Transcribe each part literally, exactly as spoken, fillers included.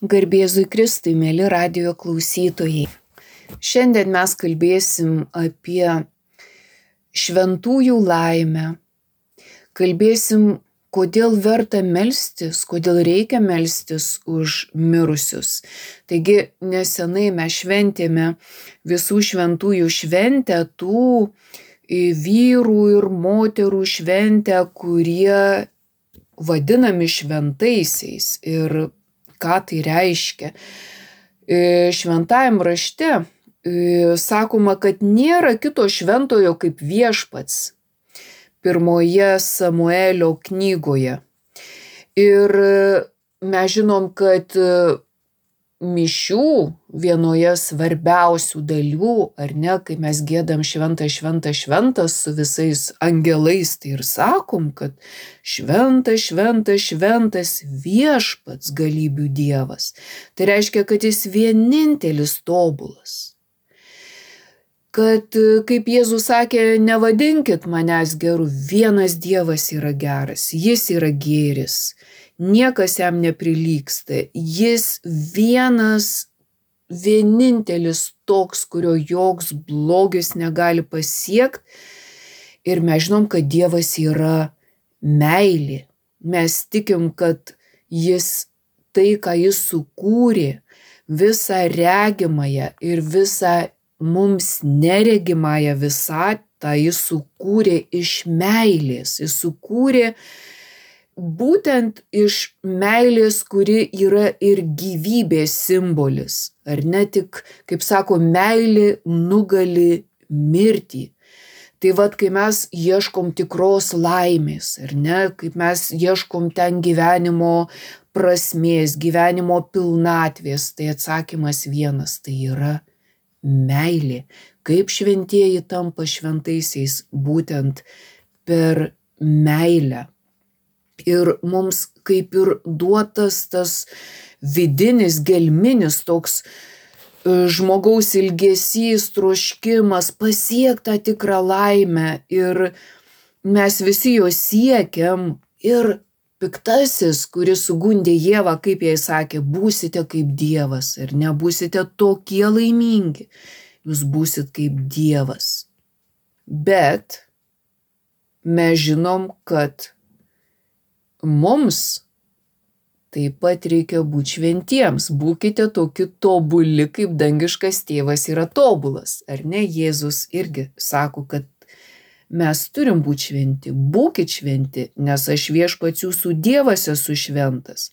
Garbėzui Kristui, mėly radijo klausytojai. Šiandien mes kalbėsim apie šventųjų laimę. Kalbėsim, kodėl verta melstis, kodėl reikia melstis už mirusius. Taigi nesenai mes šventėme visų šventųjų šventę, tų vyrų ir moterų šventę, kurie vadinami šventaisiais. Ir ką tai reiškia? Šventajam rašte sakoma, kad nėra kito šventojo kaip viešpats. Pirmoje Samuelio knygoje. Ir mes žinom, kad mišių vienoje svarbiausių dalių, ar ne, kai mes giedam šventą, šventą, šventas su visais angelais, tai ir sakom, kad šventas, šventas, šventas viešpats galybių Dievas. Tai reiškia, kad jis vienintelis tobulas. Kad, kaip Jėzus sakė, nevadinkit manęs geru, vienas Dievas yra geras, jis yra gėris, niekas jam neprilygsta, jis vienas, vienintelis toks, kurio joks blogis negali pasiekti. Ir mes žinom, kad Dievas yra meilė. Mes tikim, kad jis tai, ką jis sukūrė, visą regimąją ir visą mums neregimąją visatą jis sukūrė iš meilės. Jis sukūrė būtent iš meilės, kuri yra ir gyvybės simbolis. Ar ne tik, kaip sako, meilė nugali mirtį. Tai vat, kai mes ieškom tikros laimės, ar ne, kaip mes ieškom ten gyvenimo prasmės, gyvenimo pilnatvės, tai atsakymas vienas, tai yra meilė. Kaip šventieji tampa šventaisiais? Būtent per meilę. Ir mums kaip ir duotas tas vidinis, gelminis toks žmogaus ilgesys, troškimas pasiekti tą tikrą laimę. Ir mes visi jo siekiam. Ir piktasis, kuris sugundė Ievą, kaip jai sakė, būsite kaip Dievas, ir nebūsite tokie laimingi, jūs būsit kaip Dievas. Bet mes žinom, kad mums taip pat reikia būti šventiems. Būkite tokie tobuli, kaip dangiškas tėvas yra tobulas. Ar ne? Jėzus irgi sako, kad mes turim būti šventi, būkit šventi, nes aš viešpats jūsų Dievas esu šventas.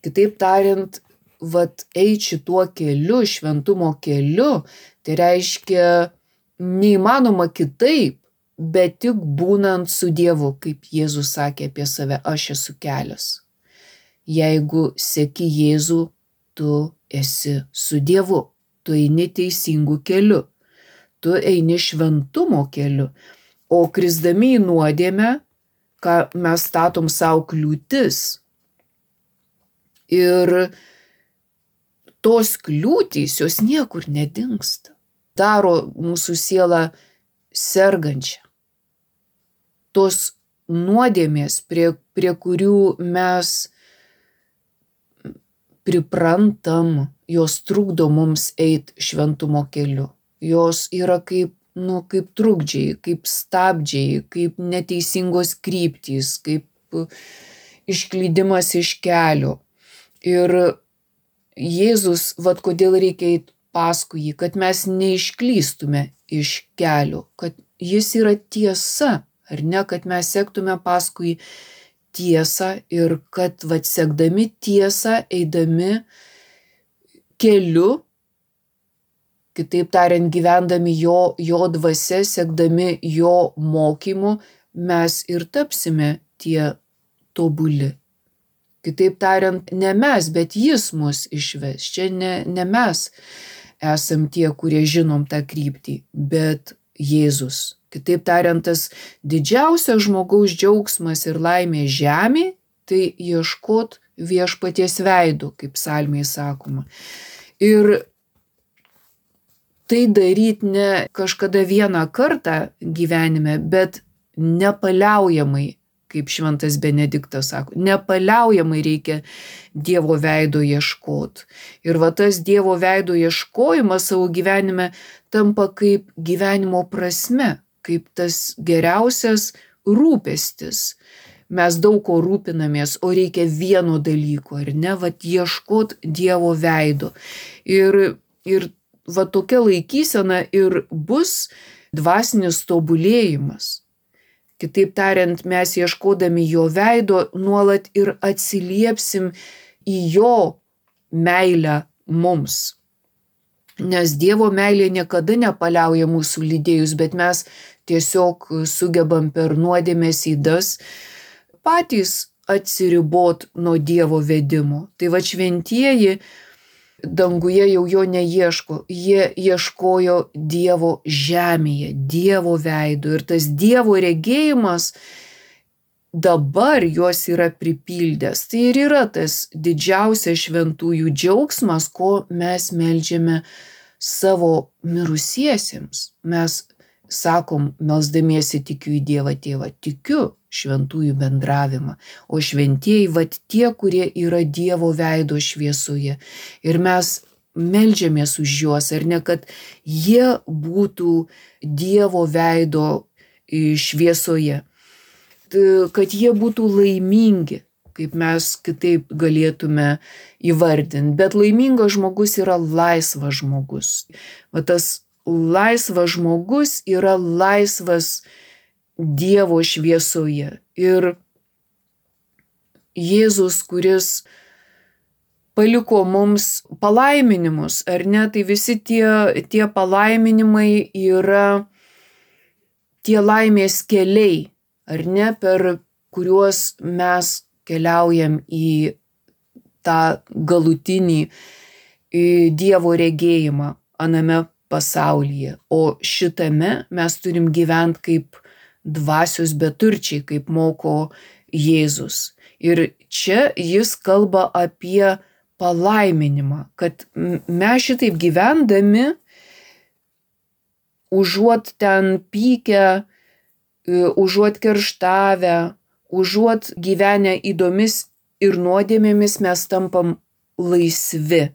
Kitaip tariant, vat eit šituo keliu, šventumo keliu, tai reiškia neįmanoma kitaip, bet tik būnant su Dievu, kaip Jėzus sakė apie save, aš esu kelias. Jeigu seki Jėzų, tu esi su Dievu, tu eini teisingų keliu, tu eini šventumo keliu. O krisdami į nuodėmę, ką mes statom savo kliūtis. Ir tos kliūtys, jos niekur nedingsta. Daro mūsų sielą sergančią. Tos nuodėmės, prie, prie kurių mes priprantam, jos trukdo mums eit šventumo keliu. Jos yra kaip nu, kaip trukdžiai, kaip stabdžiai, kaip neteisingos kryptys, kaip išklydimas iš kelio. Ir Jėzus, vat kodėl reikia eit paskui jį, kad mes neišklystume iš kelio, kad jis yra tiesa, ar ne, kad mes sektume paskui tiesą ir kad vat sekdami tiesą, eidami keliu, kitaip tariant, gyvendami jo, jo dvasia, sekdami jo mokymu, mes ir tapsime tie tobuli. Kitaip tariant, ne mes, bet jis mus išves. Čia ne, ne mes esam tie, kurie žinom tą kryptį, bet Jėzus. Kitaip tariant, tas didžiausias žmogaus džiaugsmas ir laimė žemė, tai ieškot viešpaties veido, kaip psalmėje sakoma. Ir tai daryti ne kažkada vieną kartą gyvenime, bet nepaliaujamai kaip šventas Benediktas sako, nepaliaujamai reikia Dievo veido ieškoti. Ir va tas Dievo veido ieškojimas savo gyvenime tampa kaip gyvenimo prasme, kaip tas geriausias rūpestis. Mes daug ko rūpinamės, o reikia vieno dalyko, ar ne, va ieškot Dievo veido. Ir, ir va tokia laikysena ir bus dvasinis tobulėjimas. Kitaip tariant, mes ieškodami jo veido nuolat ir atsiliepsim į jo meilę mums. Nes Dievo meilė niekada nepaliauja mūsų lydėjus, bet mes tiesiog sugebam per nuodėmės ydas patys atsiribot nuo Dievo vedimo. Tai va šventieji danguje jau jo neieško, jie ieškojo Dievo žemėje, Dievo veido. Ir tas Dievo regėjimas dabar juos yra pripildęs. Tai ir yra tas didžiausias šventųjų džiaugsmas, ko mes meldžiame savo mirusiesiems. Mes sakom, melsdamiesi tikiu į Dievą Tėvą, tikiu šventųjų bendravimą, o šventieji vat tie, kurie yra Dievo veido šviesoje. Ir mes meldžiamės už juos, ar ne, kad jie būtų Dievo veido šviesoje, kad jie būtų laimingi, kaip mes kitaip galėtume įvardinti. Bet laimingas žmogus yra laisvas žmogus. Va tas laisvas žmogus yra laisvas Dievo šviesoje. Ir Jėzus, kuris paliko mums palaiminimus, ar ne, tai visi tie, tie palaiminimai yra tie laimės keliai, ar ne, per kuriuos mes keliaujam į tą galutinį Dievo regėjimą aname pasaulyje. O šitame mes turim gyventi kaip dvasios beturčiai, kaip moko Jėzus. Ir čia jis kalba apie palaiminimą, kad mes šitaip gyvendami, užuot ten pykę, užuot kerštavę, užuot gyvenę įdomis ir nuodėmėmis, mes tampam laisvi.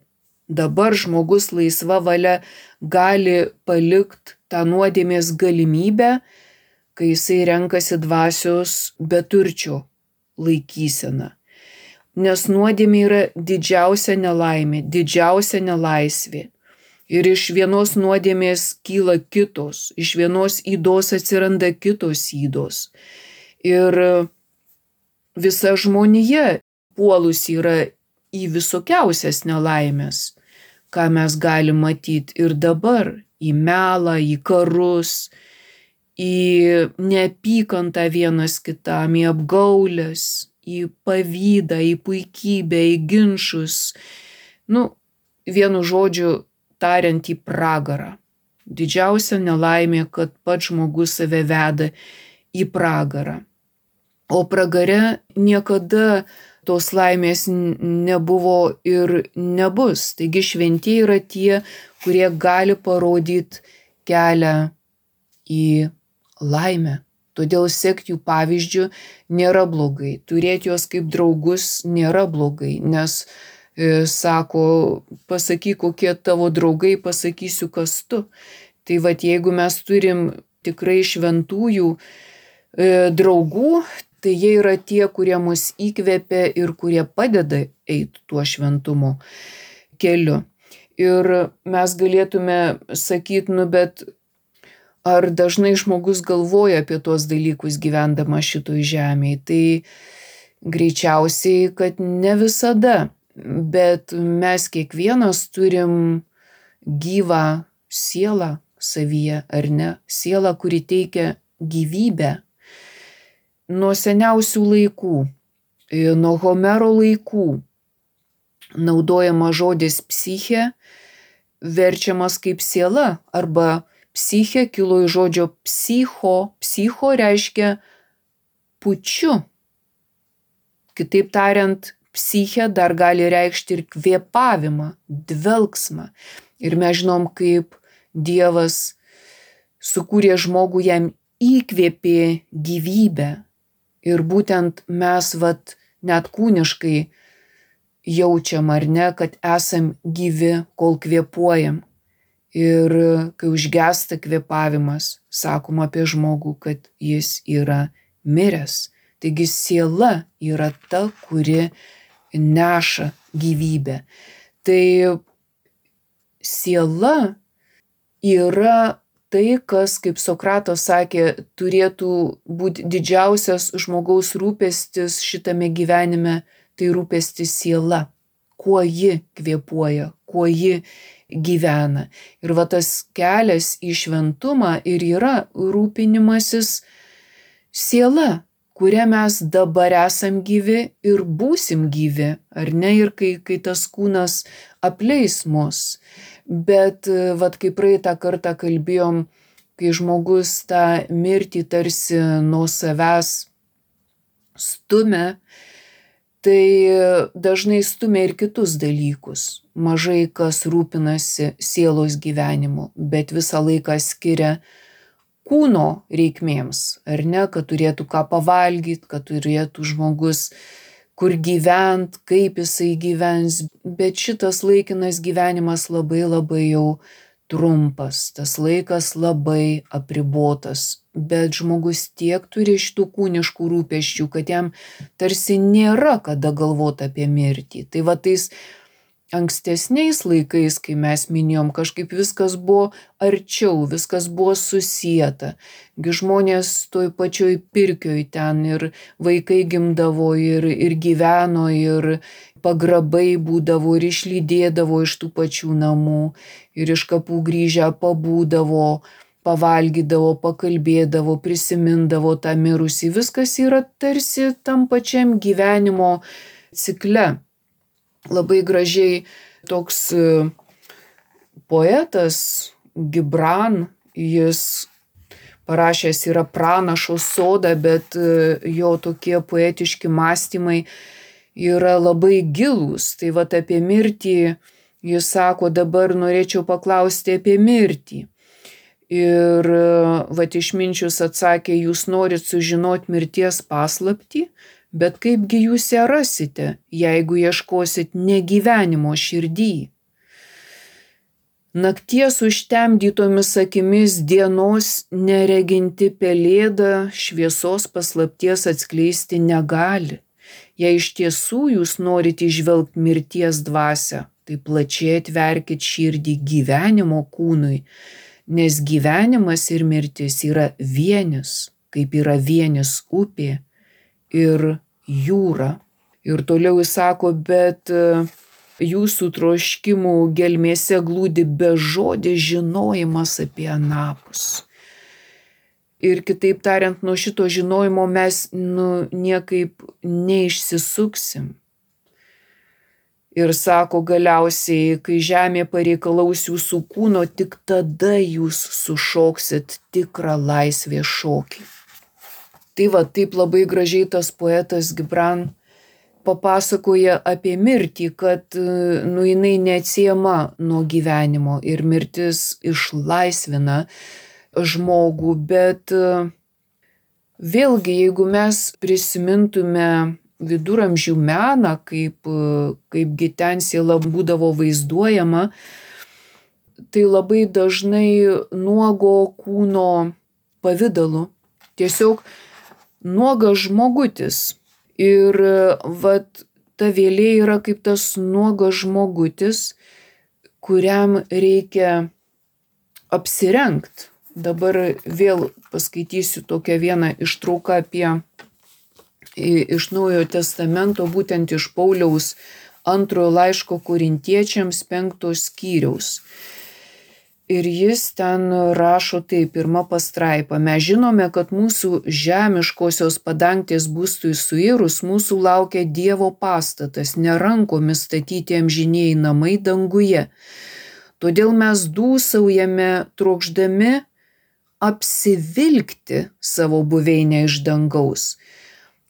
Dabar žmogus laisva valia gali palikti tą nuodėmės galimybę, kai jisai renkasi dvasios beturčio laikyseną. Nes nuodėmė yra didžiausia nelaimė, didžiausia nelaisvė. Ir iš vienos nuodėmės kyla kitos, iš vienos ydos atsiranda kitos ydos. Ir visa žmonija puolus yra į visokiausias nelaimės, ką mes galim matyti ir dabar, į melą, į karus, į neapykantą vienas kitam, į apgaulės, į pavydą, į puikybę, į ginčus. Nu, vienu žodžiu tariant, į pragarą. Didžiausia nelaimė, kad pats žmogus save veda į pragarą. O pragare niekada tos laimės nebuvo ir nebus. Taigi šventieji yra tie, kurie gali parodyti kelią į laimę. Todėl sekti jų pavyzdžių nėra blogai. Turėti juos kaip draugus nėra blogai, nes e, sako, pasakyk, kokie tavo draugai, pasakysiu, kas tu. Tai vat jeigu mes turim tikrai šventųjų e, draugų, tai jie yra tie, kurie mus įkvepia ir kurie padeda eiti tuo šventumo keliu. Ir mes galėtume sakyti, nu bet ar dažnai žmogus galvoja apie tuos dalykus gyvendama šitoj žemėje? Tai greičiausiai, kad ne visada, bet mes kiekvienas turim gyvą sielą savyje, ar ne? Sielą, kuri teikia gyvybę. Nuo seniausių laikų, nuo Homero laikų naudojama žodis psiche, verčiamas kaip siela, arba psiche kilo iš žodžio psicho. Psicho reiškia pučiu. Kitaip tariant, psiche dar gali reikšti ir kvėpavimą, dvelksmą. Ir mes žinom, kaip Dievas sukūrė žmogų, jam įkvėpė gyvybę. Ir būtent mes vat net kūniškai jaučiam, ar ne, kad esam gyvi, kol kvėpuojam. Ir kai užgesta kvėpavimas, sakom apie žmogų, kad jis yra miręs. Taigi siela yra ta, kuri neša gyvybę. Tai siela yra tai, kas, kaip Sokratas sakė, turėtų būti didžiausias žmogaus rūpestis šitame gyvenime, tai rūpestis siela, kuo ji kvėpuoja, kuo ji gyvena. Ir va tas kelias į šventumą ir yra rūpinimasis siela, kuria mes dabar esam gyvi ir būsim gyvi, ar ne, ir kai, kai tas kūnas apleis mus. Bet vat kaip praeitą kartą kalbėjom, kai žmogus tą mirtį tarsi nuo savęs stumia, tai dažnai stumia ir kitus dalykus. Mažai kas rūpinasi sielos gyvenimu, bet visą laiką skiria kūno reikmėms, ar ne, kad turėtų ką pavalgyti, kad turėtų žmogus kur gyvent, kaip jisai gyvens, bet šitas laikinas gyvenimas labai labai jau trumpas, tas laikas labai apribotas, bet žmogus tiek turi šitų kūniškų rūpesčių, kad jam tarsi nėra kada galvoti apie mirtį. Tai va tais ankstesniais laikais, kai mes minėjom, kažkaip viskas buvo arčiau, viskas buvo susieta. Gi žmonės toj pačioj Pirkioj ten ir vaikai gimdavo ir, ir gyveno, ir pagrabai būdavo, ir išlydėdavo iš tų pačių namų, ir iš kapų grįžę pabūdavo, pavalgydavo, pakalbėdavo, prisimindavo tą mirusį. Viskas yra tarsi tam pačiam gyvenimo cikle. Labai gražiai toks poetas Gibran, jis parašęs yra Pranašo sodą, bet jo tokie poetiški mąstymai yra labai gilūs. Tai vat apie mirtį jis sako, dabar norėčiau paklausti apie mirtį. Ir vat išminčius atsakė, jūs norit sužinoti mirties paslaptį, bet kaipgi jūs ją rasite, jeigu ieškosit negyvenimo širdį. Nakties užtemdytomis akimis dienos nereginti pelėda šviesos paslapties atskleisti negali. Jei iš tiesų jūs norite įžvelgti mirties dvasią, tai plačiai atverkit širdį gyvenimo kūnui, nes gyvenimas ir mirtis yra vienis, kaip yra vienis upė ir jūra. Ir toliau jis sako, bet jūsų troškimų gelmėse glūdi bežodis žinojimas apie anapus. Ir kitaip tariant, nuo šito žinojimo mes nu, niekaip neišsisuksim. Ir sako galiausiai, kai žemė pareikalaus jūsų kūno, tik tada jūs sušoksit tikrą laisvės šokį. Tai va, taip labai gražiai tas poetas Gibran papasakoja apie mirtį, kad nu, jinai neatsiejama nuo gyvenimo ir mirtis išlaisvina žmogų, bet vėlgi, jeigu mes prisimintume viduramžių meną, kaip, kaipgi ten siela būdavo vaizduojama, tai labai dažnai nuogo kūno pavidalu. Tiesiog nuogas žmogutis. Ir vat ta vėlė yra kaip tas nuogas žmogutis, kuriam reikia apsirengt. Dabar vėl paskaitysiu tokią vieną ištrauką apie iš Naujojo Testamento, būtent iš Pauliaus antrojo laiško Korintiečiams penkto skyriaus. Ir jis ten rašo taip, pirma pastraipa. Mes žinome, kad mūsų žemiškosios padangtės būstui suirus, mūsų laukia Dievo pastatas, ne rankomis statyti amžinieji namai danguje. Todėl mes dūsaujame trokšdami apsivilkti savo buveinę iš dangaus.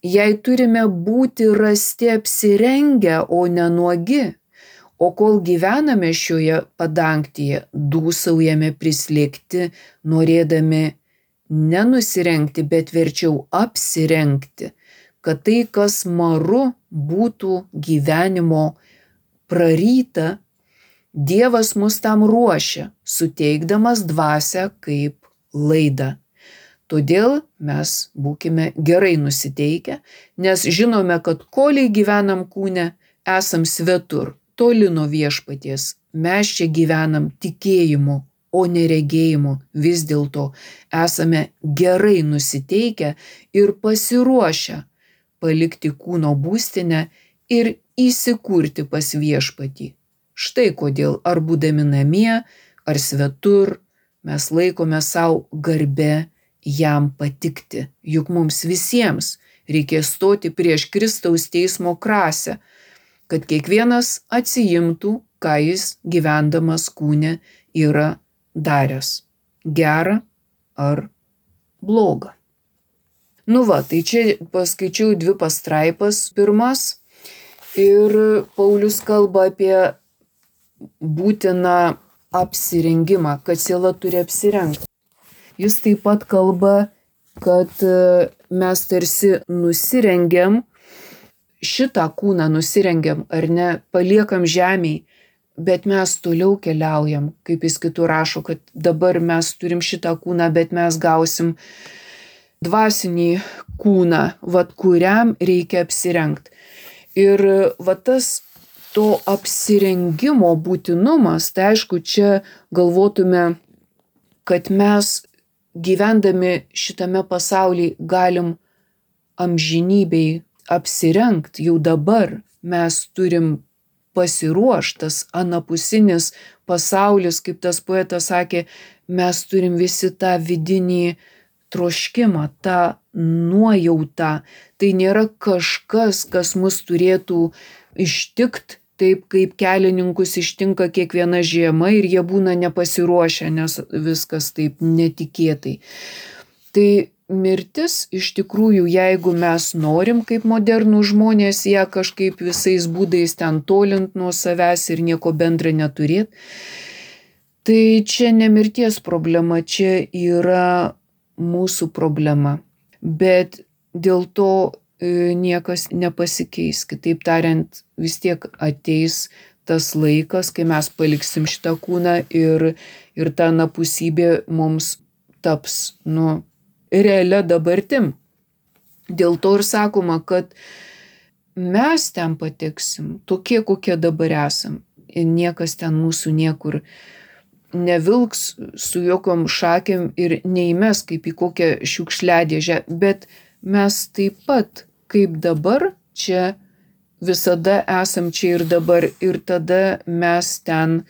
Jei turime būti rasti apsirengę, o ne nuogi, o kol gyvename šioje padangtyje, dūsaujame prislėgti, norėdami nenusirengti, bet verčiau apsirengti, kad tai, kas maru, būtų gyvenimo praryta, Dievas mus tam ruošia, suteikdamas dvasią kaip laidą. Todėl mes būkime gerai nusiteikę, nes žinome, kad koliai gyvenam kūne, esam svetur, toli nuo viešpaties. Mes čia gyvenam tikėjimu, o ne regėjimu. Vis dėlto esame gerai nusiteikę ir pasiruošę palikti kūno būstinę ir įsikurti pas viešpatį. Štai kodėl ar būdami namie, ar svetur, mes laikome savo garbę jam patikti. Juk mums visiems reikės stoti prieš Kristaus teismo krasę, kad kiekvienas atsiimtų, ką jis gyvendamas kūne yra daręs. Gerą ar blogą. Nu va, tai čia paskaičiau dvi pastraipas pirmas ir Paulius kalba apie būtiną apsirengimą, kad siela turi apsirengti. Jis taip pat kalba, kad mes tarsi nusirengiam, šitą kūną nusirengiam ar ne, paliekam žemėj, bet mes toliau keliaujam, kaip jis kitur rašo, kad dabar mes turim šitą kūną, bet mes gausim dvasinį kūną, vat kuriam reikia apsirengti. Ir vat tas to apsirengimo būtinumas, tai aišku, čia galvotume, kad mes gyvendami šitame pasaulyje galim amžinybei apsirengti, jau dabar mes turim pasiruoštas anapusinis pasaulis, kaip tas poetas sakė, mes turim visi tą vidinį troškimą, tą nuojautą. Tai nėra kažkas, kas mus turėtų ištikti, taip kaip kelininkus ištinka kiekviena žiema ir jie būna nepasiruošę, nes viskas taip netikėtai. Tai mirtis iš tikrųjų, jeigu mes norim kaip modernų žmonės ją kažkaip visais būdais ten tolint nuo savęs ir nieko bendra neturėt, tai čia ne mirties problema, čia yra mūsų problema. Bet dėl to niekas nepasikeis. Kitaip tariant, vis tiek ateis tas laikas, kai mes paliksim šitą kūną ir, ir ta anapusybė mums taps, nu, realia dabartim. Dėl to ir sakoma, kad mes ten pateksim, tokie, kokie dabar esam. Ir niekas ten mūsų niekur nevilks su jokiom šakėm ir neįmes kaip į kokią šiukšliadėžę, bet mes taip pat, kaip dabar, čia visada esam čia ir dabar, ir tada mes ten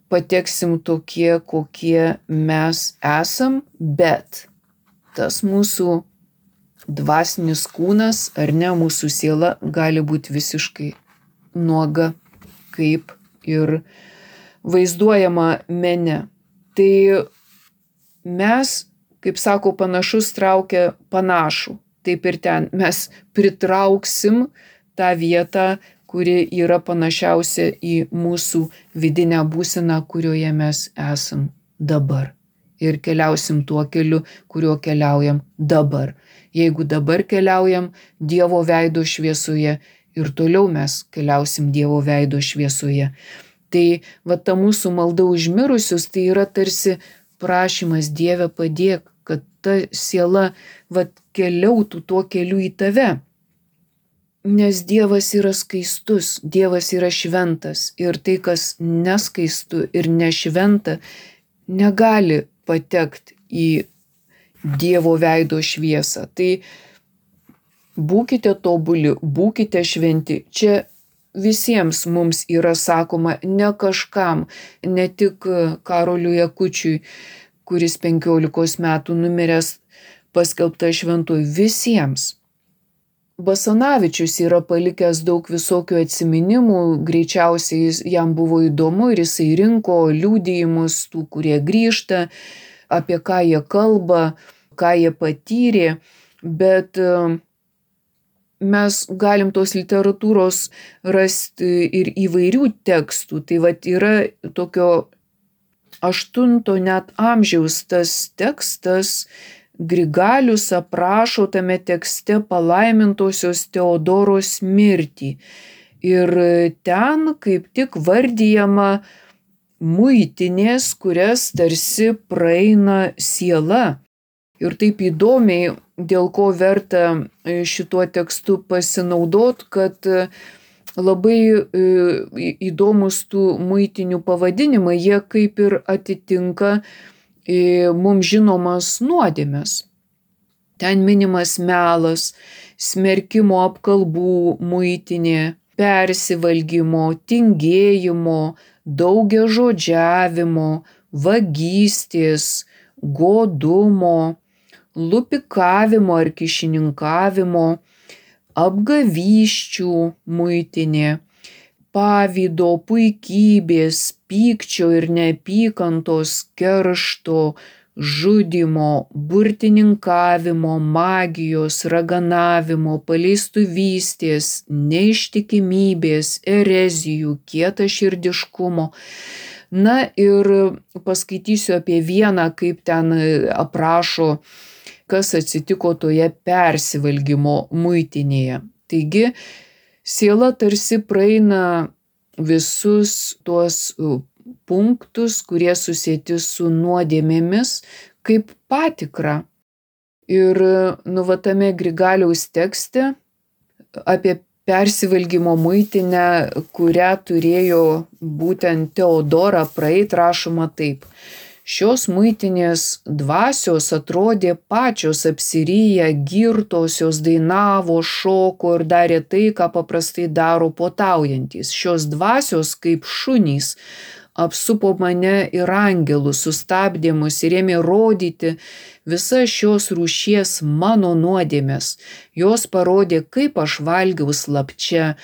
pateksim tokie, kokie mes esam, bet tas mūsų dvasinis kūnas, ar ne, mūsų siela gali būti visiškai nuoga, kaip ir vaizduojama mene. Tai mes, kaip sako, panašus traukia panašų. Taip ir ten mes pritrauksim tą vietą, kuri yra panašiausia į mūsų vidinę būseną, kurioje mes esam dabar. Ir keliausim tuo keliu, kuriuo keliaujam dabar. Jeigu dabar keliaujam Dievo veido šviesoje, ir toliau mes keliausim Dievo veido šviesoje. Tai va ta mūsų malda už mirusius, tai yra tarsi prašymas Dieve padėk, kad ta siela va keliautų tuo keliu į tave. Nes Dievas yra skaistus, Dievas yra šventas ir tai, kas neskaistu ir nešventa, negali patekti į Dievo veido šviesą. Tai būkite tobuli, būkite šventi. Čia visiems mums yra sakoma, ne kažkam, ne tik Karoliui Akučiui, kuris penkiolikos metų numiręs paskelbta šventuoju, visiems. Basanavičius yra palikęs daug visokių atsiminimų, greičiausiai jam buvo įdomu ir jisai rinko liudijimus tų, kurie grįžta, apie ką jie kalba, ką jie patyrė, bet mes galim tos literatūros rasti ir įvairių tekstų. Tai vat yra tokio aštunto net amžiaus tas tekstas, Grigalius aprašo tame tekste palaimintosios Teodoros mirtį. Ir ten kaip tik vardijama muitinės, kurias tarsi praeina siela. Ir taip įdomiai, dėl ko verta šituo tekstu pasinaudot, kad labai įdomus tų muitinių pavadinimai, jie kaip ir atitinka mums žinomas nuodėmes. Ten minimas melas, smerkimo apkalbų muitinė, persivalgymo, tingėjimo, daugiažodžiavimo, vagystės, godumo, lupikavimo ar kyšininkavimo, apgavysčių muitinė, pavydo, puikybės, pykčio ir neapykantos, keršto, žudymo, burtininkavimo, magijos, raganavimo, paleistuvystės, neištikimybės, erezijų, kietaširdiškumo. Na ir paskaitysiu apie vieną, kaip ten aprašo, kas atsitiko toje persivalgymo muitinėje. Taigi, siela tarsi praeina visus tuos punktus, kurie susieti su nuodėmėmis, kaip patikra. Ir nu va tame Grigaliaus tekste apie persivalgymo muitinę, kurią turėjo būtent Teodora praeit, rašoma taip. Šios muitinės dvasios atrodė pačios apsiryję, girtos, jos dainavo, šoko ir darė tai, ką paprastai daro puotaujantys. Šios dvasios kaip šunys apsupo mane ir angelus, sustabdė mus ir ėmė rodyti visas šios rūšies mano nuodėmes. Jos parodė, kaip aš valgiau slapčia,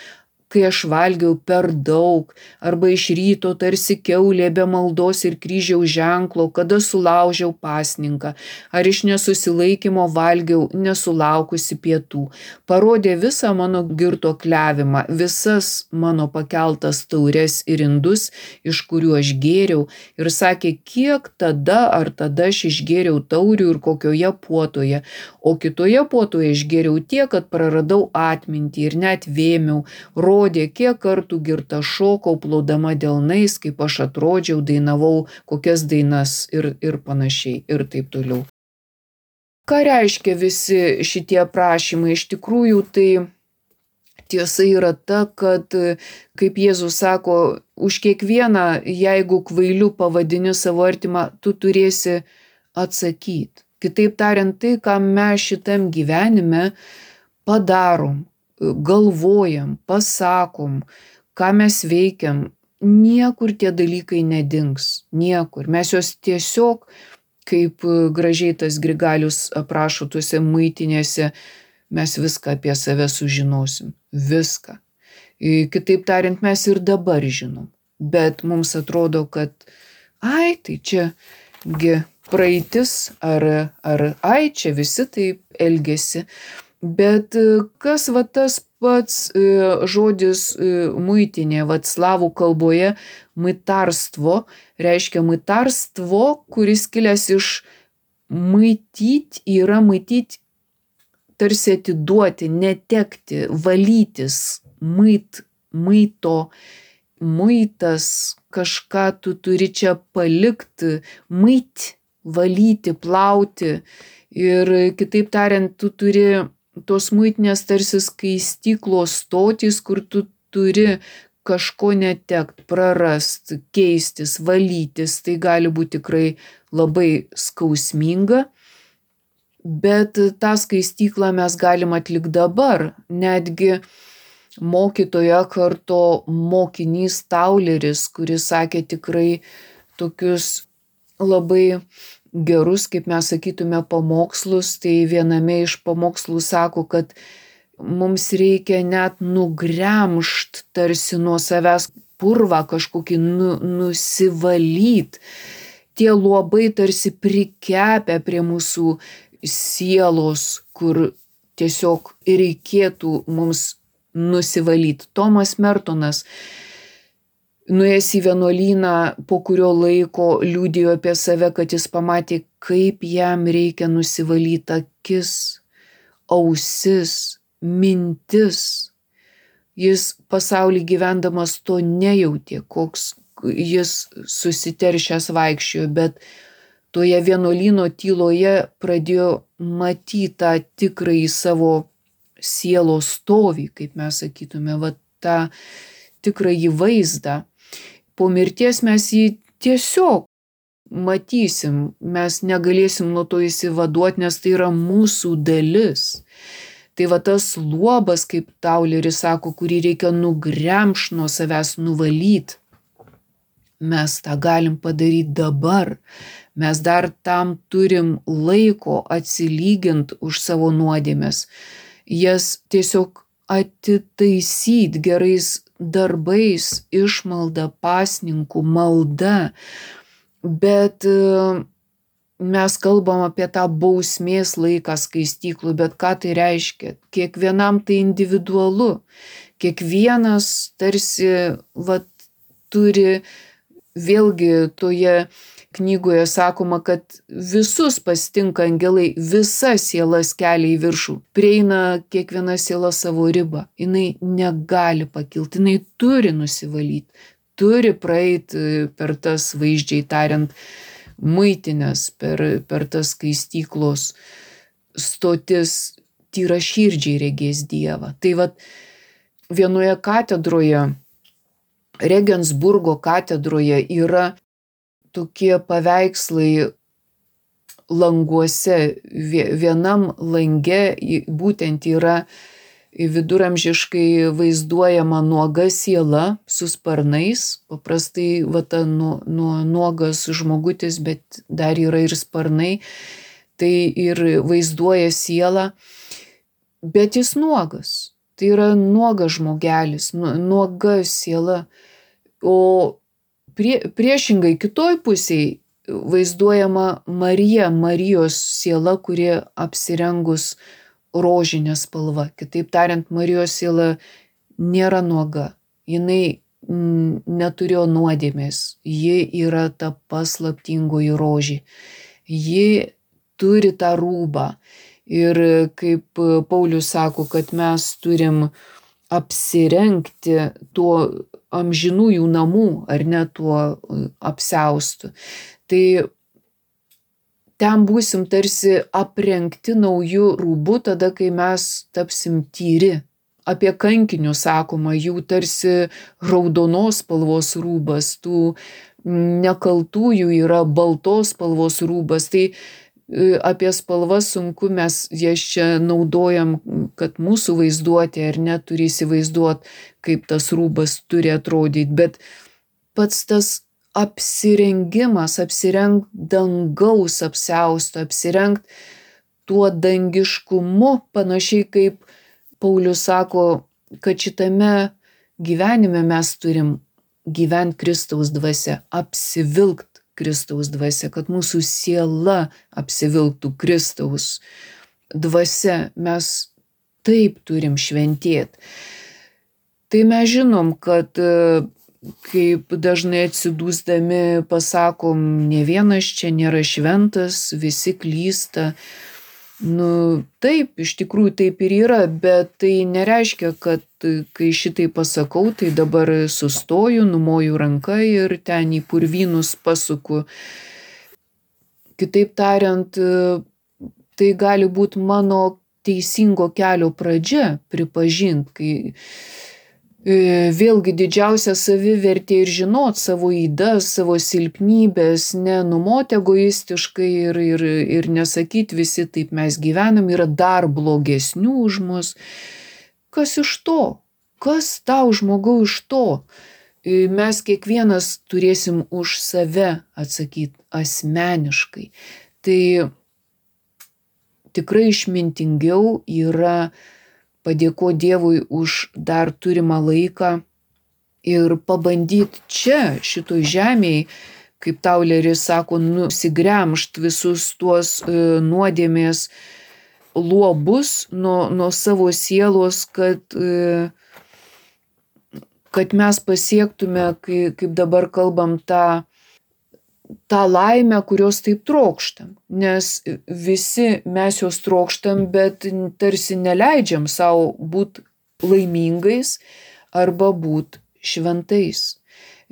kai aš valgiau per daug, arba iš ryto tarsi kiaulė be maldos ir kryžiaus ženklo, kada sulaužiau pasninką, ar iš nesusilaikymo valgiau nesulaukusi pietų. Parodė visą mano girtuokliavimą, visas mano pakeltas taures ir indus, iš kurių aš gėriau, ir sakė, kiek tada ar tada aš išgėriau taurių ir kokioje puotoje, o kitoje puotoje išgėriau tiek, kad praradau atmintį ir net vėmiau, rodė, kiek kartų girta šokau, plaudama delnais, kaip aš atrodžiau, dainavau kokias dainas ir, ir panašiai ir taip toliau. Ką reiškia visi šitie aprašymai? Iš tikrųjų, tai tiesa yra ta, kad, kaip Jėzus sako, už kiekvieną, jeigu kvailiu pavadini savo artimą, tu turėsi atsakyti. Kitaip tariant, tai, ką mes šitam gyvenime padarom, galvojam, pasakom, ką mes veikiam, niekur tie dalykai nedings, niekur. Mes juos tiesiog, kaip gražiai tas Grigalius aprašo tuose muitinėse, mes viską apie save sužinosim, viską. Kitaip tariant, mes ir dabar žinom, bet mums atrodo, kad ai, tai čia gi praeitis, ar, ar ai, čia visi taip elgiasi. Bet kas va tas pats žodis muitinė, va slavų kalboje maitarstvo, reiškia maitarstvo, kuris kilęs iš maityt, yra maityt, tarsi atiduoti, netekti, valytis, mait, maito, muitas, kažką tu turi čia palikti, mait, valyti, plauti. Ir kitaip tariant, tu turi tos muitinės tarsi skaistyklos stotys, kur tu turi kažko netekt, prarast, keistis, valytis. Tai gali būti tikrai labai skausminga, bet tą skaistyklą mes galim atlikti dabar. Netgi mokytojo karto mokinys Tauleris, kuris sakė tikrai tokius labai gerus, kaip mes sakytume, pamokslus, tai viename iš pamokslų sako, kad mums reikia net nugremžt tarsi nuo savęs purvą kažkokį nu, nusivalyt. Tie luobai tarsi prikepę prie mūsų sielos, kur tiesiog reikėtų mums nusivalyti. Tomas Mertonas nuėjęs į vienuolyną, po kurio laiko liudijo apie save, kad jis pamatė, kaip jam reikia nusivalyti akis, ausis, mintis. Jis pasaulį gyvendamas to nejautė, koks jis susiteršęs vaikščiojo, bet toje vienuolyno tyloje pradėjo matyti tą tikrąjį savo sielos stovį, kaip mes sakytume, va tą tikrąjį vaizdą. Po mirties mes jį tiesiog matysim, mes negalėsim nuo to įsivaduoti, nes tai yra mūsų dalis. Tai va tas luobas, kaip Tauleris sako, kurį reikia nugremš nuo savęs nuvalyti. Mes tą galim padaryti dabar. Mes dar tam turim laiko atsilygint už savo nuodėmes. Jas tiesiog atitaisyti gerais darbais, išmalda, pasninkų, malda. Bet mes kalbam apie tą bausmės laiką skaistyklų, bet ką tai reiškia? Kiekvienam tai individualu. Kiekvienas tarsi vat, turi, vėlgi toje knygoje sakoma, kad visus pasitinka angelai, visa sielas kelia į viršų. Prieina kiekviena siela savo ribą. Jinai negali pakilti, jinai turi nusivalyti, turi praeiti per tas, vaizdžiai tariant, muitinės, per, per tas skaistyklos stotis, tyra širdžiai regės Dievą. Tai vat vienoje katedroje, Regensburgo katedroje yra tokie paveikslai languose. Vienam lange būtent yra viduramžiškai vaizduojama nuoga siela su sparnais. Paprastai va ta nu, nu, nuogas žmogutis, bet dar yra ir sparnai. Tai ir vaizduoja sielą, bet jis nuogas. Tai yra nuogas žmogelis, nuoga siela. O prie, priešingai kitoj pusėj vaizduojama Marija, Marijos siela, kuri apsirengus rožinę spalvą. Kitaip tariant, Marijos siela nėra nuoga. Jinai neturėjo nuodėmės. Ji yra ta paslaptingoji rožė. Ji turi tą rūbą. Ir kaip Paulius sako, kad mes turim apsirengti tuo amžinųjų namų, ar ne tuo apsiaustu. Tai ten būsim tarsi aprengti naujų rūbų tada, kai mes tapsim tyri. Apie kankinius sakoma, jų tarsi raudonos spalvos rūbas, tų nekaltųjų yra baltos spalvos rūbas. Tai apie spalvas sunku, mes jas čia naudojam, kad mūsų vaizduotė ar neturi įsivaizduoti, kaip tas rūbas turi atrodyti, bet pats tas apsirengimas, apsirengt dangaus apsiausto, apsirengt tuo dangiškumu, panašiai kaip Paulius sako, kad šitame gyvenime mes turim gyventi Kristaus dvasia, apsivilkt Kristaus dvasia, kad mūsų siela apsivilktų Kristaus dvasia. Mes taip turim šventėti. Tai mes žinom, kad kaip dažnai atsidūsdami pasakom, ne vienas čia nėra šventas, visi klysta. Nu, taip, iš tikrųjų taip ir yra, bet tai nereiškia, kad kai šitai pasakau, tai dabar sustoju, numoju ranką ir ten į purvynus pasuku. Kitaip tariant, tai gali būti mano teisingo kelio pradžia, pripažint, kai vėlgi didžiausia savivertė ir žinot savo ydas, savo silpnybės, nenumot egoistiškai ir, ir, ir nesakyt visi taip mes gyvenam, yra dar blogesnių už mus. Kas iš to? Kas tau žmogau iš to? Mes kiekvienas turėsim už save atsakyti asmeniškai. Tai tikrai išmintingiau yra padėkoti Dievui už dar turimą laiką ir pabandyti čia, šitoj žemėj, kaip Tauleris sako, nusigremžt visus tuos e, nuodėmės luobus nuo, nuo savo sielos, kad, e, kad mes pasiektume, kai, kaip dabar kalbam, tą, tą laimę, kurios taip trokštam. Nes visi mes jos trokštam, bet tarsi neleidžiam savo būti laimingais arba būti šventais.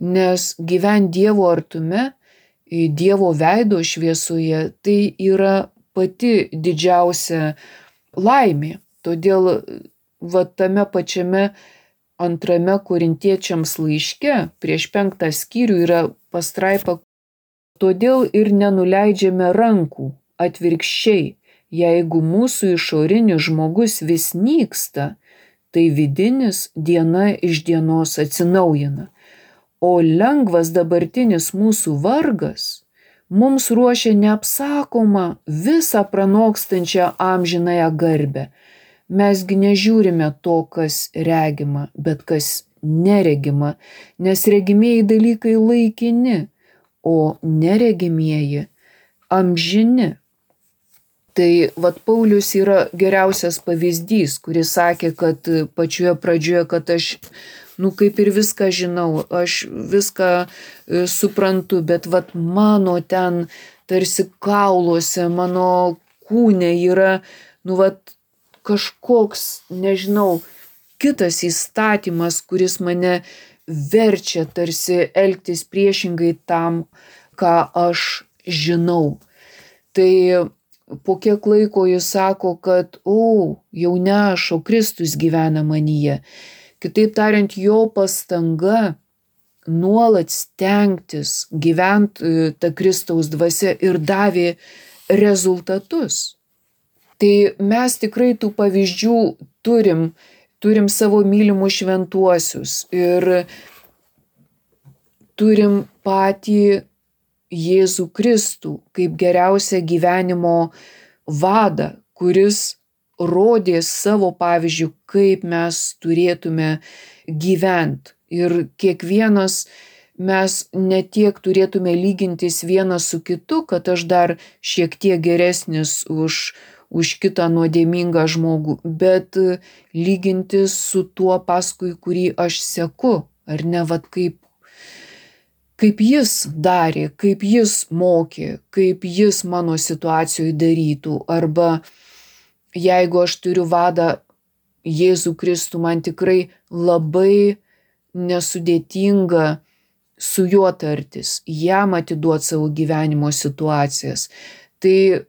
Nes gyventi Dievo artume, Dievo veido šviesoje, tai yra pati didžiausia laimė. Todėl va tame pačiame antrame Korintiečiams laiške, prieš penktą skyrių yra pastraipa: todėl ir nenuleidžiame rankų, atvirkščiai, jeigu mūsų išorinis žmogus vis nyksta, tai vidinis diena iš dienos atsinaujina. O lengvas dabartinis mūsų vargas mums ruošia neapsakomą, visą pranokstančią amžinąją garbę. Mesgi nežiūrime to, kas regima, bet kas neregima, nes regimieji dalykai laikini, o neregimieji amžini. Tai vat Paulius yra geriausias pavyzdys, kuris sakė, kad pačioje pradžioje, kad aš nu kaip ir viską žinau, aš viską suprantu, bet vat mano ten tarsi kauluose, mano kūne yra, nu vat kažkoks, nežinau, kitas įstatymas, kuris mane verčia tarsi elgtis priešingai tam, ką aš žinau. Tai po kiek laiko jis sako, kad, o, jau ne aš, o Kristus gyvena manyje. Kitaip tariant, jo pastanga nuolat stengtis gyventi tą Kristaus dvasia ir davė rezultatus. Tai mes tikrai tų pavyzdžių turim, turim savo mylimus šventuosius ir turim patį Jėzų Kristų kaip geriausią gyvenimo vadą, kuris rodė savo pavyzdžių, kaip mes turėtume gyventi. Ir kiekvienas mes ne tiek turėtume lygintis vienas su kitu, kad aš dar šiek tiek geresnis už, už kitą nuodėmingą žmogų, bet lygintis su tuo, paskui kurį aš seku, ar ne, vat kaip, kaip jis darė, kaip jis mokė, kaip jis mano situacijoje darytų, arba jeigu aš turiu vadą Jėzų Kristų, man tikrai labai nesudėtinga su juo tartis, jam atiduoti savo gyvenimo situacijas. Tai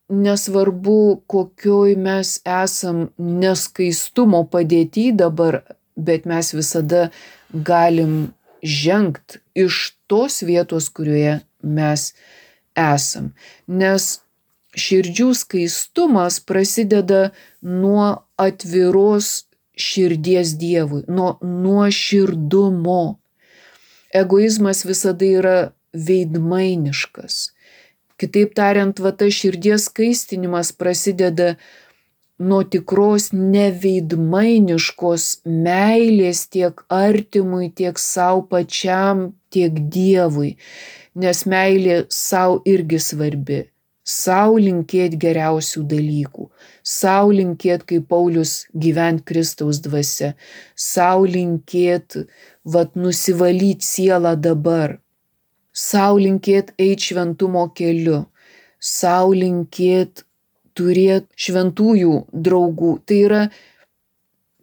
nesvarbu, kokioj mes esam neskaistumo padėty dabar, bet mes visada galim žengt iš tos vietos, kurioje mes esam. Nes širdžių skaistumas prasideda nuo atviros širdies Dievui, nuo nuoširdumo. Egoizmas visada yra veidmainiškas. Kitaip tariant, va tas širdies skaistinimas prasideda nuo tikros neveidmainiškos meilės tiek artimui, tiek savo pačiam, tiek Dievui. Nes meilė savo irgi svarbi. Sau linkėt geriausių dalykų, sau linkėt, kaip Paulius, gyvent Kristaus dvasia, sau linkėt, vat, nusivalyt sielą dabar, sau linkėt eit šventumo keliu, sau linkėt turėt šventųjų draugų. Tai yra,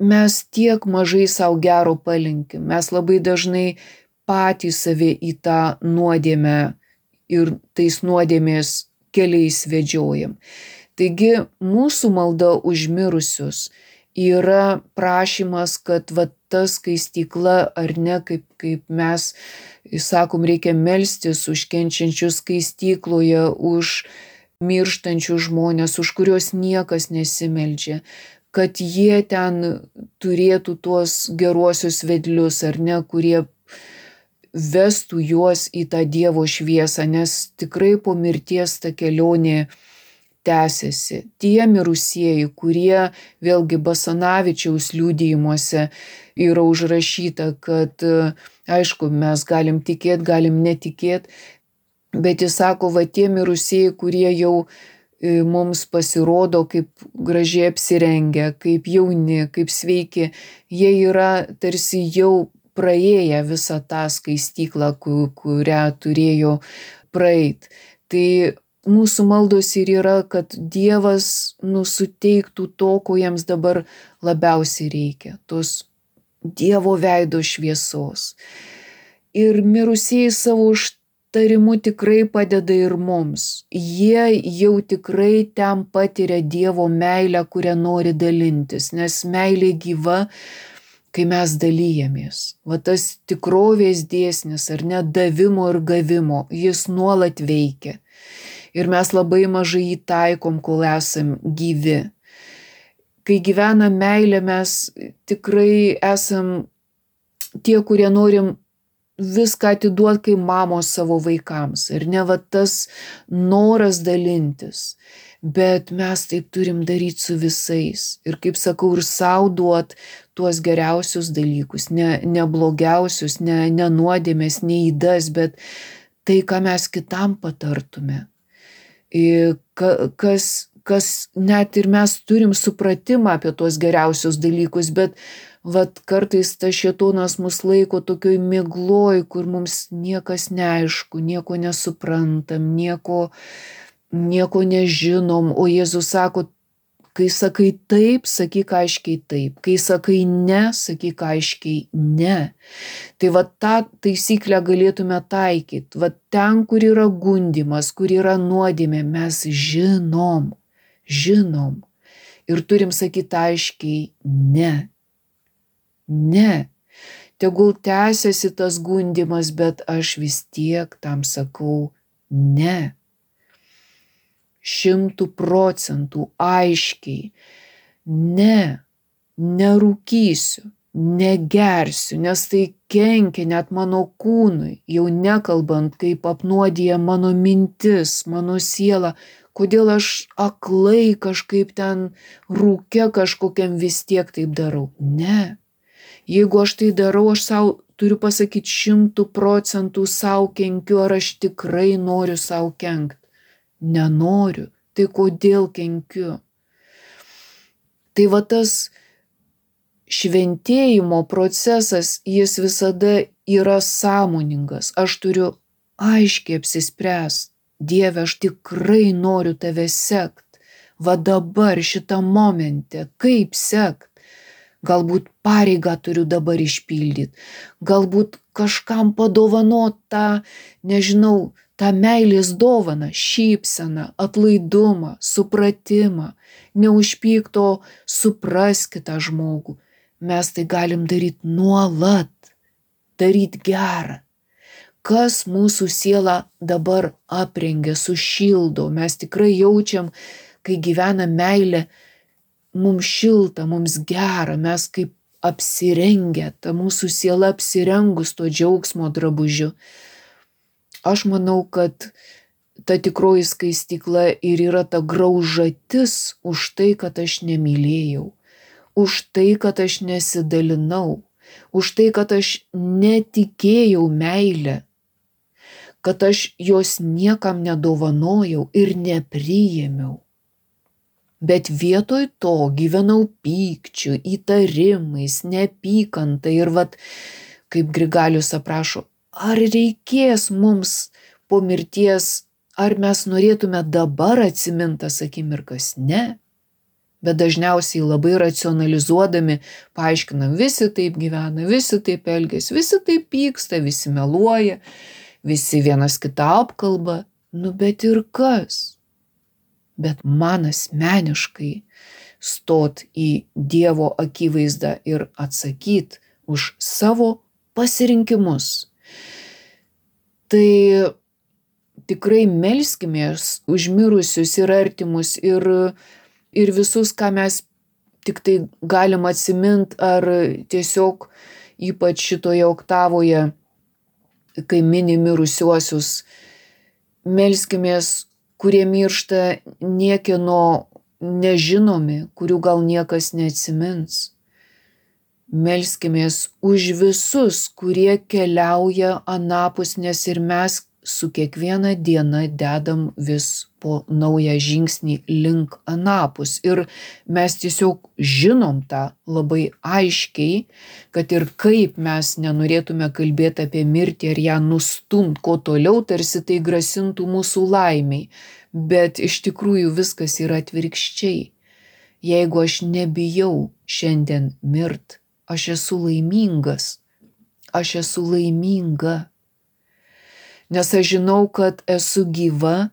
mes tiek mažai sau gero palinkim, mes labai dažnai patys save į tą nuodėmę ir tais nuodėmės keliais vedžiojam. Taigi mūsų malda už mirusius yra prašymas, kad va ta skaistykla, ar ne, kaip, kaip mes sakom, reikia melstis už kenčiančius skaistykloje, už mirštančius žmonės, už kuriuos niekas nesimeldžia, kad jie ten turėtų tuos geruosius vedlius, ar ne, kurie vestų juos į tą Dievo šviesą, nes tikrai po mirties ta kelionė tęsiasi. Tie mirusieji, kurie vėlgi Basanavičiaus liudijimuose yra užrašyta, kad aišku, mes galim tikėt, galim netikėt, bet jis sako, va tie mirusieji, kurie jau mums pasirodo kaip gražiai apsirengę, kaip jauni, kaip sveiki, jie yra tarsi jau praėję visą tą skaistyklą, kurią turėjo praeit. Tai mūsų maldos ir yra, kad Dievas nusuteiktų to, ko jiems dabar labiausiai reikia, tos Dievo veido šviesos. Ir mirusieji savo užtarimu tikrai padeda ir mums. Jie jau tikrai ten patiria Dievo meilę, kurią nori dalintis, nes meilė gyva, kai mes dalyjamės. Va tas tikrovės dėsnis, ar ne, davimo ir gavimo, jis nuolat veikia. Ir mes labai mažai jį taikom, kol esam gyvi. Kai gyvena meilė, mes tikrai esam tie, kurie norim viską atiduoti kaip mamos savo vaikams. Ir ne va tas noras dalintis. Bet mes taip turim daryti su visais. Ir kaip sakau, ir sau duot tuos geriausius dalykus, ne, ne blogiausius, ne, ne nuodėmės, ne įdas, bet tai, ką mes kitam patartume. Ir kas, kas net ir mes turim supratimą apie tuos geriausius dalykus, bet vat kartais tas šėtonas mus laiko tokioj migloj, kur mums niekas neaišku, nieko nesuprantam, nieko nieko nežinom, o Jėzus sako, kai sakai taip, sakyk aiškiai taip, kai sakai ne, sakyk aiškiai ne. Tai va tą taisyklę galėtume taikyti, va ten, kur yra gundymas, kur yra nuodėmė, mes žinom, žinom ir turim sakyti aiškiai ne, ne. Tegul tęsiasi tas gundymas, bet aš vis tiek tam sakau ne. Šimtų procentų aiškiai, ne, nerūkysiu, negersiu, nes tai kenkia net mano kūnui, jau nekalbant, kaip apnuodija mano mintis, mano siela, kodėl aš aklai kažkaip ten rūke kažkokiam vis tiek taip darau. Ne, jeigu aš tai darau, aš sau turiu pasakyti šimtų procentų sau kenkiu, ar aš tikrai noriu sau kenkti. Nenoriu, tai kodėl kenkiu? Tai va tas šventėjimo procesas, jis visada yra sąmoningas. Aš turiu aiškiai apsispręsti. Dieve, aš tikrai noriu tave sekt. Va dabar, šitam momente, kaip sekt? Galbūt pareigą turiu dabar išpildyti. Galbūt kažkam padovanot tą, nežinau, tą meilės dovaną, šypseną, atlaidumą, supratimą, neužpykto supras kitą žmogų. Mes tai galim daryti nuolat, daryti gerą. Kas mūsų sielą dabar aprengia, sušildo, mes tikrai jaučiam, kai gyvena meilė, mums šilta, mums gera, mes kaip apsirengę, ta mūsų siela apsirengus to džiaugsmo drabužiu. Aš manau, kad ta tikroji skaistykla ir yra ta graužatis už tai, kad aš nemylėjau, už tai, kad aš nesidalinau, už tai, kad aš netikėjau meilę, kad aš jos niekam nedovanojau ir nepriėmiau. Bet vietoj to gyvenau pykčiu, įtarimais, neapykanta ir vat, kaip Grigalius aprašo, ar reikės mums po mirties, ar mes norėtume dabar atsimintas akimirkas? Ne. Bet dažniausiai labai racionalizuodami paaiškinam, visi taip gyvena, visi taip elgiasi, visi taip pyksta, visi meluoja, visi vienas kitą apkalba. Nu bet ir kas? Bet man asmeniškai stot į Dievo akivaizdą ir atsakyt už savo pasirinkimus. Tai tikrai melskimės už mirusius ir artimus ir, ir visus, ką mes tik tai galim atsimint, ar tiesiog ypač šitoje oktavoje, kai mini mirusiuosius, melskimės, kurie miršta niekieno nežinomi, kurių gal niekas neatsimins. Melskimės už visus, kurie keliauja anapus, nes ir mes su kiekviena diena dedam vis po naują žingsnį link anapus. Ir mes tiesiog žinom tą labai aiškiai, kad ir kaip mes nenorėtume kalbėti apie mirtį ar ją nustumt, ko toliau, tarsi tai grasintų mūsų laimiai. Bet iš tikrųjų viskas yra atvirkščiai. Jeigu aš nebijau šiandien mirt, aš esu laimingas. Aš esu laiminga. Nes aš žinau, kad esu gyva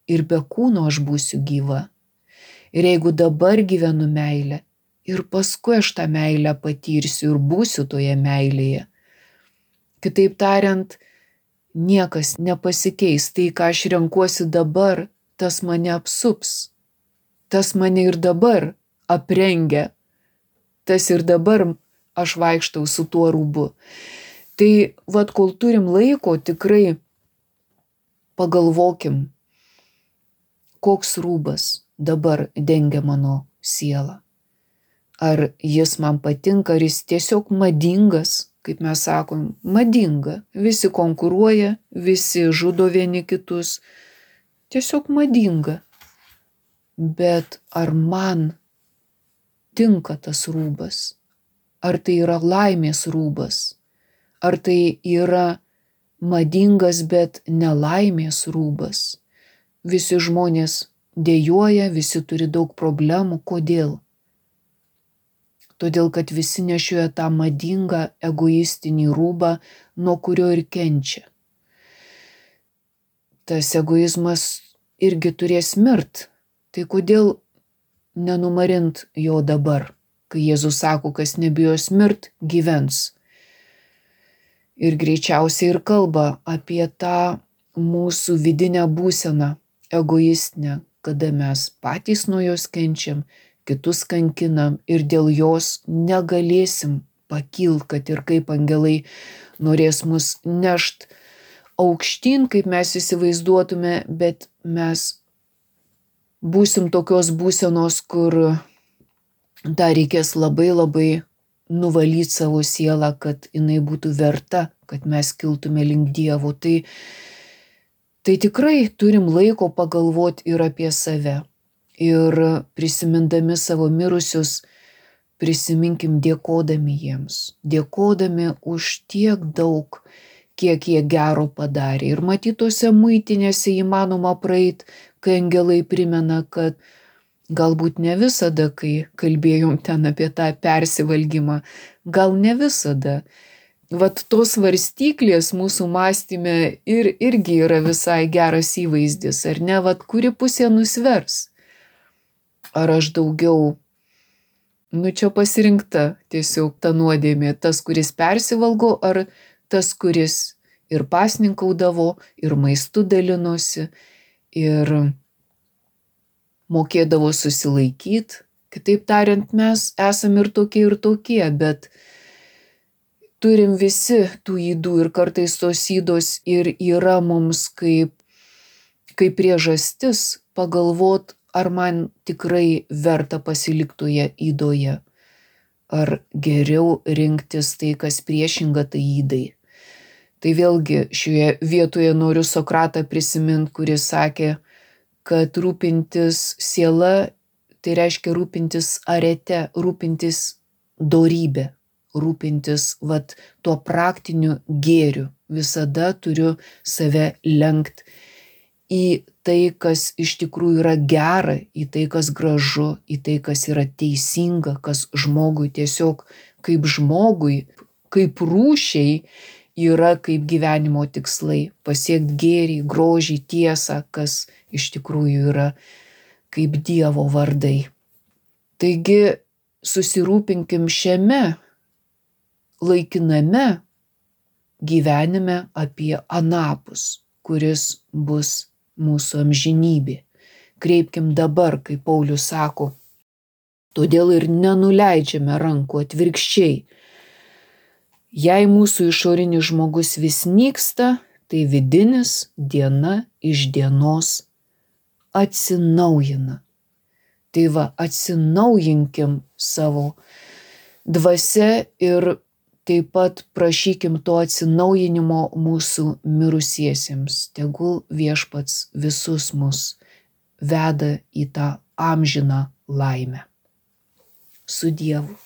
ir be kūno aš būsiu gyva. Ir jeigu dabar gyvenu meilę ir paskui aš tą meilę patirsiu ir būsiu toje meilėje. Kitaip tariant, niekas nepasikeis. Tai, ką aš renkuosi dabar, tas mane apsups. Tas mane ir dabar aprengia. Tas ir dabar aš vaikštau su tuo rūbu. Tai vat, kol turim laiko, tikrai pagalvokim, koks rūbas dabar dengia mano sielą. Ar jis man patinka, ar jis tiesiog madingas, kaip mes sakom, madinga. Visi konkuruoja, visi žudo vieni kitus. Tiesiog madinga. Bet ar man tinka tas rūbas? Ar tai yra laimės rūbas? Ar tai yra madingas, bet nelaimės rūbas? Visi žmonės dejuoja, visi turi daug problemų. Kodėl? Todėl, kad visi nešioja tą madingą egoistinį rūbą, nuo kurio ir kenčia. Tas egoizmas irgi turės mirt. Tai kodėl nenumarint jo dabar? Kai Jėzus sako, kas nebijos mirt, gyvens. Ir greičiausiai ir kalba apie tą mūsų vidinę būseną, egoistinę, kada mes patys nuo jos kenčiam, kitus kankinam ir dėl jos negalėsim pakilt, kad ir kaip angelai norės mus nešt aukštyn, kaip mes įsivaizduotume, bet mes būsim tokios būsenos, kur dar reikės labai labai nuvalyti savo sielą, kad jinai būtų verta, kad mes kiltume link Dievo. Tai, tai tikrai turim laiko pagalvoti ir apie save. Ir prisimindami savo mirusius, prisiminkim dėkodami jiems. Dėkodami už tiek daug, kiek jie gero padarė. Ir matytose muitinėse įmanoma praeit, kai angelai primena, kad galbūt ne visada, kai kalbėjom ten apie tą persivalgymą, gal ne visada. Vat tos svarstyklės mūsų mąstyme ir, irgi yra visai geras įvaizdis, ar ne? Vat kuri pusė nusvers? Ar aš daugiau, nu čia pasirinkta tiesiog ta nuodėmė, tas, kuris persivalgo, ar tas, kuris ir pasninkaudavo, ir maistu dalinosi, ir mokėdavo susilaikyti. Kitaip tariant, mes esam ir tokie, ir tokie, bet turim visi tų ydų ir kartais tos ydos ir yra mums kaip, kaip priežastis pagalvot, ar man tikrai verta pasiliktoje ydoje, ar geriau rinktis tai, kas priešinga tai ydai. Tai vėlgi šioje vietoje noriu Sokratą prisiminti, kuris sakė, kad rūpintis siela, tai reiškia rūpintis arete, rūpintis dorybė, rūpintis vat, tuo praktiniu gėriu. Visada turiu save lenkt į tai, kas iš tikrųjų yra gera, į tai, kas gražu, į tai, kas yra teisinga, kas žmogui tiesiog kaip žmogui, kaip rūšiai yra kaip gyvenimo tikslai, pasiekti gėrį, grožį, tiesą, kas iš tikrųjų yra kaip Dievo vardai. Taigi susirūpinkim šiame laikiname gyvenime apie anapus, kuris bus mūsų amžinybė. Kreipkim dabar, kaip Paulius sako, todėl ir nenuleidžiame rankų, atvirkščiai. Jei mūsų išorinis žmogus vis nyksta, tai vidinis diena iš dienos atsinaujina. Tai va, atsinaujinkim savo dvasia ir taip pat prašykim to atsinaujinimo mūsų mirusiesiems. Tegul Viešpats visus mus veda į tą amžiną laimę. Su Dievu.